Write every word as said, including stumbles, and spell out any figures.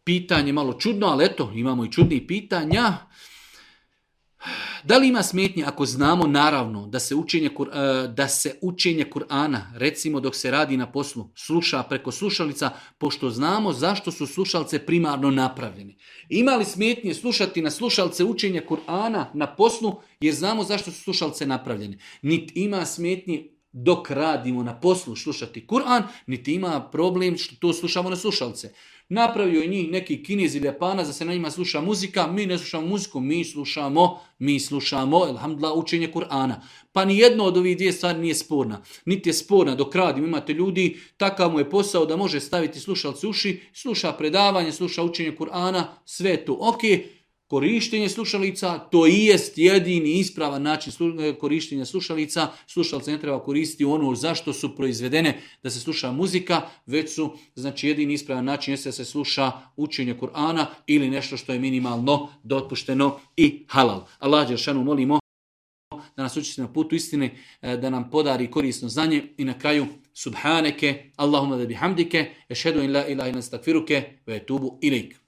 pitanje malo čudno, ali eto, imamo i čudnih pitanja. Da li ima smetnje ako znamo naravno da se učenje, da se učenje Kur'ana, recimo dok se radi na poslu, sluša preko slušalica, pošto znamo zašto su slušalce primarno napravljeni. Ima li smetnje slušati na slušalce učenje Kur'ana na poslu, jer znamo zašto su slušalce napravljeni. Niti ima smetnje dok radimo na poslu slušati Kur'an, niti ima problem što to slušamo na slušalce. Napravio je njih neki Kinez ili Japanac da se na njima sluša muzika, mi ne slušamo muziku, mi slušamo, mi slušamo, alhamdulillah, učenje Kur'ana. Pa ni jedno od ovih dvije stvari nije sporna. Niti je sporna dok radimo, imate ljudi, takav mu je posao da može staviti slušalce uši, sluša predavanje, sluša učenje Kur'ana, sve je to ok. Korištenje slušalica, to i jest jedini ispravan način korištenja slušalica. Slušalce ne treba koristiti ono zašto su proizvedene da se sluša muzika, već su, znači, jedini ispravan način jeste da se sluša učenje Kur'ana ili nešto što je minimalno dopušteno i halal. Allah dželešanu molimo da nas učiti na putu istine, da nam podari korisno znanje i na kraju subhaneke, Allahumma da bihamdike, ešhedu in la ilaha illa ente, estakfiruke ve etubu ilejk.